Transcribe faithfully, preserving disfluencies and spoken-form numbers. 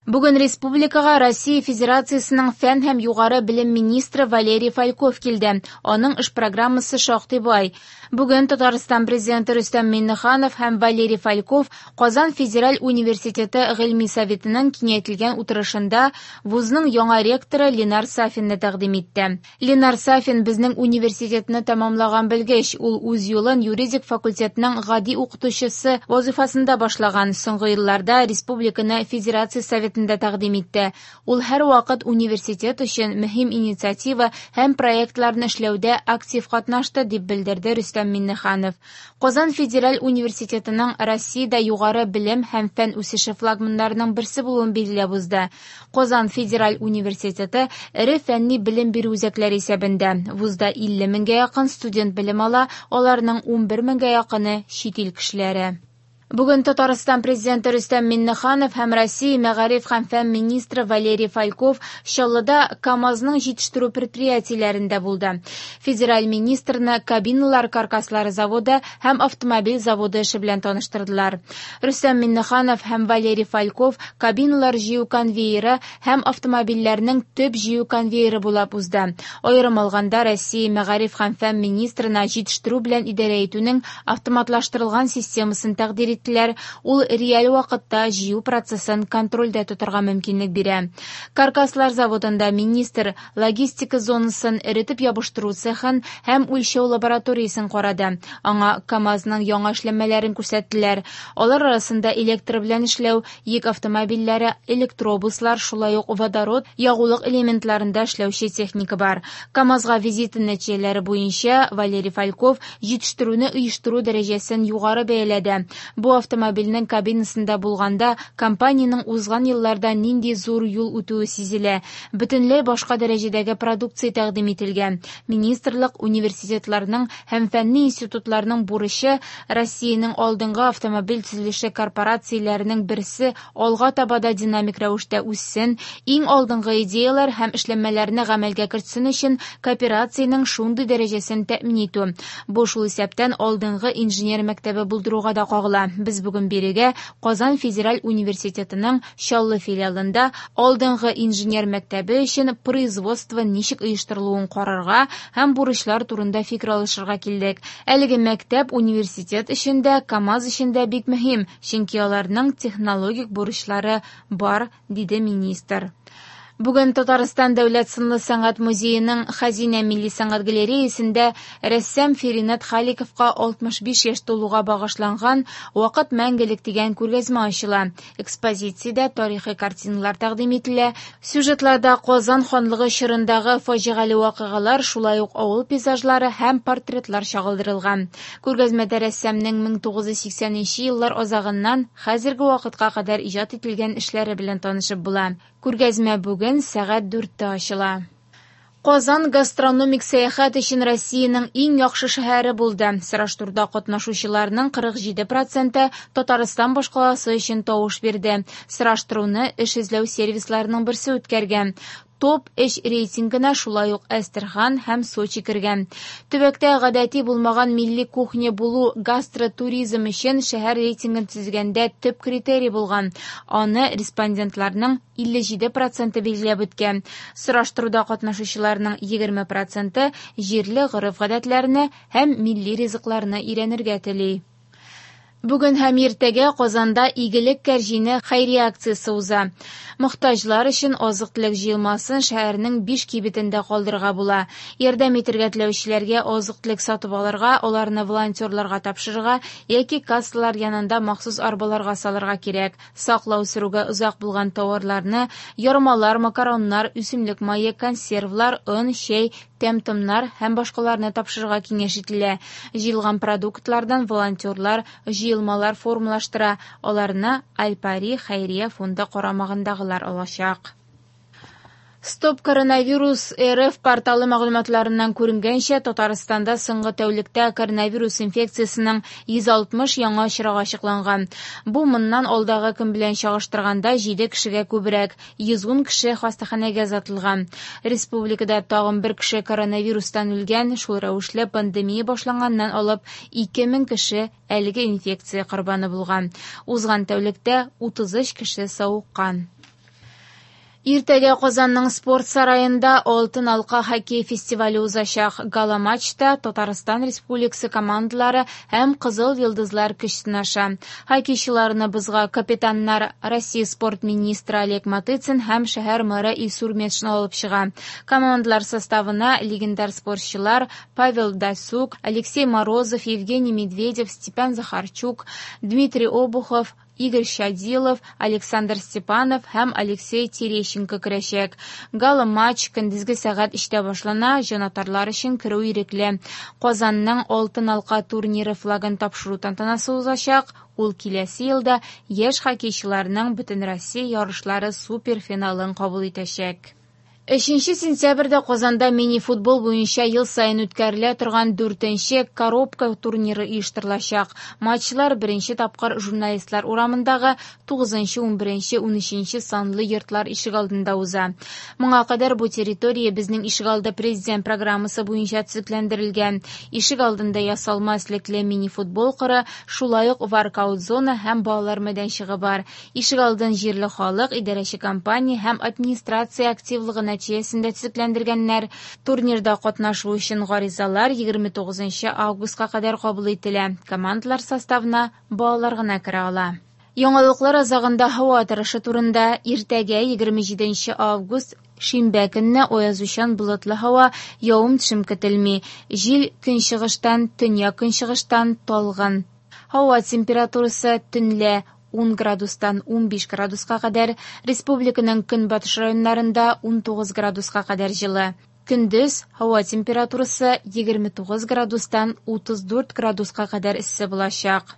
Бүген республикага Россия Федерациясенең фән һәм югары белем министры Валерий Фальков килде. Аның эш программасы шактый бай. Бүген Татарстан президенты Рөстәм Миңнеханов һәм Валерий Фальков Казан федераль университеты Гыйльми советының киңәйтелгән утырышында вузның яңа ректоры Ленар Сафинны тәкъдим итте. Ленар Сафин безнең университетны тәмамлаган белгеч. Ул үз юлын юридик факультетның гади укытучысы вазифасында башлаган. Соңгы елларда республиканы Федерация Советында тәкъдим итте. Ул һәрвакыт университет өчен мөһим инициатива һәм проектларны эшләүдә актив катнашты, дип белдерде Рөстәм Миңнеханов. Казан федераль университетының Россиядә югары белем һәм фән үсеше флагманнарының берсе булуын билгеләп узды. Казан федераль университеты эре фәнни белем бирү үзәкләре исәбендә. Вузда илле меңгә якын студент белем ала, аларның унбер меңгә якыны чит ил кешеләре. Бүген Татарстан президенты Рөстәм Миңнеханов һәм Россия мәгариф һәм фән министры Валерий Фальков Чаллыда КАМАЗның җитештерү предприятиеләрендә булды. Федераль министрны кабиналар каркаслары заводы һәм автомобиль заводы эше белән таныштырдылар. Рөстәм Миңнеханов һәм Валерий Фальков кабиналар җыю конвейеры һәм автомобильләрнең төп җыю конвейеры булып узды. Аерым алганда, Россия мәгариф һәм фән министрына җитештерү белән идарә итүнең автоматлаштырылган системасын тәкъдир иттеләр. Ул реаль вакытта җыю процессын контрольдә тотарга мөмкинлек бирә. Каркаслар заводында министр логистика зонасын, эретеп ябыштыру цехын һәм үлчәү лабораториясен карады. Аңа КАМАЗның яңа эшләнмәләрен күрсәттеләр. Алар арасында электр белән эшләү, йөк автомобильләре, электробуслар, шулай ук водород ягулык элементларында эшләүче техника бар. КАМАЗга визиты нәтиҗәләре буенча Валерий Фальков җитештерүне оештыру дәрәҗәсен югары бәяләде. Бу автомобильнең кабинасында булганда компаниянең узган елларда нинди зур юл үтүе сизелә. Бөтенләй башка дәрәҗәдәге продукция тәкъдим ителгән. Министрлык университетларның һәм фәнни институтларның бурычы Россиянең алдынгы автомобиль төзелеше корпорацияләренең берсе алга таба да динамик рәвештә үссен, иң алдынгы идеяләр һәм эшләнмәләрне гамәлгә кертсен өчен кооперациянең шундый дәрәҗәсен тәэмин итү. Бу шул исәптән алдынгы инженер мәктәбе булдыруга да кагыла. Без бүген бирегә Казан федераль университетының Чаллы филиалында алдынгы инженер мәктәбе өчен производство ничек оештырылуын карарга һәм бурычлар турында фикер алышырга килдек. Әлеге мәктәп университет өчен дә, КАМАЗ өчен дә бик мөһим, чөнки аларның технологик бурычлары бар, диде министр. Бүген Татарстан Дәүләт сынлы сәнгать музееның Хәзинә милли сәнгать галереясендә рәссам Феринат Халиковка алтмыш биш яшь тулуга багышланган Вакыт мәңгелек дигән күргәзмә ачыла. Экспозициядә тарихи картиналар тәкъдим ителә. Сюжетларда Казан ханлыгы чорындагы фаҗигале вакыйгалар, шулай ук авыл пейзажлары һәм портретлар чагылдырылган. Күргәзмәдә рәссамның мең тугыз йөз сиксәненче еллар азагыннан хәзерге вакытка кадәр иҗат ителгән эшләре белән танышып була. Күргәзмә бүген сәгать дүрттә ачыла. Казан гастрономик сәяхәт өчен Россиянең иң яхшы шәһәре булды. Сораштыруда катнашучыларның кырык җиде проценты Татарстан башкаласы өчен тавыш бирде. Сораштыруны эш эзләү сервисларының берсе үткәргән. Топ өч рейтингына шулай ук Әстерхан һәм Сочи кергән. Төбәктә гадәти булмаган милли кухня булу гастротуризм өчен шәһәр рейтингын төзегәндә төп критерий булган. Аны респондентларның илле җиде проценты билгеләп үткән. Сораштыруда катнашучыларның егерме проценты җирле гореф-гадәтләрне һәм милли ризыкларны өйрәнергә тели. Бүген һәм иртәгә Казанда Игелек кәрҗине хәйрия акциясе уза. Мохтаҗлар өчен азык-төлек җыелмасын шәһәрнең биш кибетендә калдырырга була. Ярдәм итәргә теләүчеләргә азык-төлек сатып алырга, аларны волонтерларга тапшырырга яки кассалар янында махсус арбаларга салырга кирәк. Саклау сөрүгә озак булган товарларны, ярмалар, макароннар, үсемлек мае, консервлар, он, чәй, тәм-томнар һәм башкаларны тапшырырга киңәш ителә. Җыелган продуктлардан волонтерлар җыелмалар формалаштыра, аларны Альпари хәйрия фонды карамагындагылар алачак. Стоп коронавирус эр эф порталы мәгълүматларыннан күренгәнчә, Татарстанда соңгы тәүлектә коронавирус инфекциясенең йөз алтмыш яңа очрагы ачыкланган. Бу моннан алдагы көн белән чагыштырганда җиде кешегә күбрәк, йөз ун кеше хастаханәгә озатылган. Республикада тагын бер кеше коронавирустан үлгән, шул рәвешле пандемия башланганнан алып ике мең кеше әлеге инфекция корбаны булган. Узган тәүлектә утыз өч кеше савыккан. Иртәгә Казанның спорт сараенда «Алтын алка» хоккей фестивале узачак. Гала-матчта Татарстан Республикасы командалары һәм «Кызыл йолдызлар» көч сынаша. Хоккейчыларны бозга капитаннар Россия спорт министры Олег Матыцин һәм шәһәр мэры Илсур Метшин алып чыга. Командалар составына легендар спортчылар Павел Дацюк, Алексей Морозов, Евгений Медведев, Степан Захарчук, Дмитрий Обухов, Игорь Щадилов, Александр Степанов һәм Алексей Терещенко керәчәк. Гала-матч көндезге сәгать өчтә башлана, җанатарлар өчен керү ирекле. Казанның «Алтын алка» турниры флагын тапшыру тантанасы узачак. Ул киләсе елда яшь хоккейчыларның Бөтенроссия ярышлары суперфиналын кабул итәчәк. Өченче сентябрьдә Казанда мини-футбол буенча ел саен үткәрелә торган дүртенче «Коробка» турниры оештырылачак. Матчлар беренче тапкыр Журналистлар урамындагы тугызынчы, унберенче, унөченче санлы йортлар ишегалдында уза. Моңа кадәр бу территория безнең ишегалды президент программасы буенча төзекләндерелгән. Ишегалдында ясалма өслекле мини-футбол кыры, шулай ук воркаут-зона һәм балалар мәйданчыгы бар. Ишегалдын җирле халык, идарәче компания һәм администрация активлыгы нәтиҗәсендә төзекләндергәннәр. Турнирда катнашу өчен гаризалар егерме тугызынчы августка кадәр кабул ителә. Командалар составына балалар гына керә ала. Яңалыклар азагында һава торышы турында. Иртәгә егерме җиденче август шимбә көнне аязучан болытлы һава, явым-төшем көтелми. Җил көнчыгыштан, төньяк көнчыгыштан талгын. Һава температурасы төнлә ун градустан унбиш градуска кадәр, республиканың көнбатыш районнарында унтугыз градуска кадәр җылы. Көндез һава температурасы егерме тугыз градустан утыз дүрт градуска кадәр эссе булачак.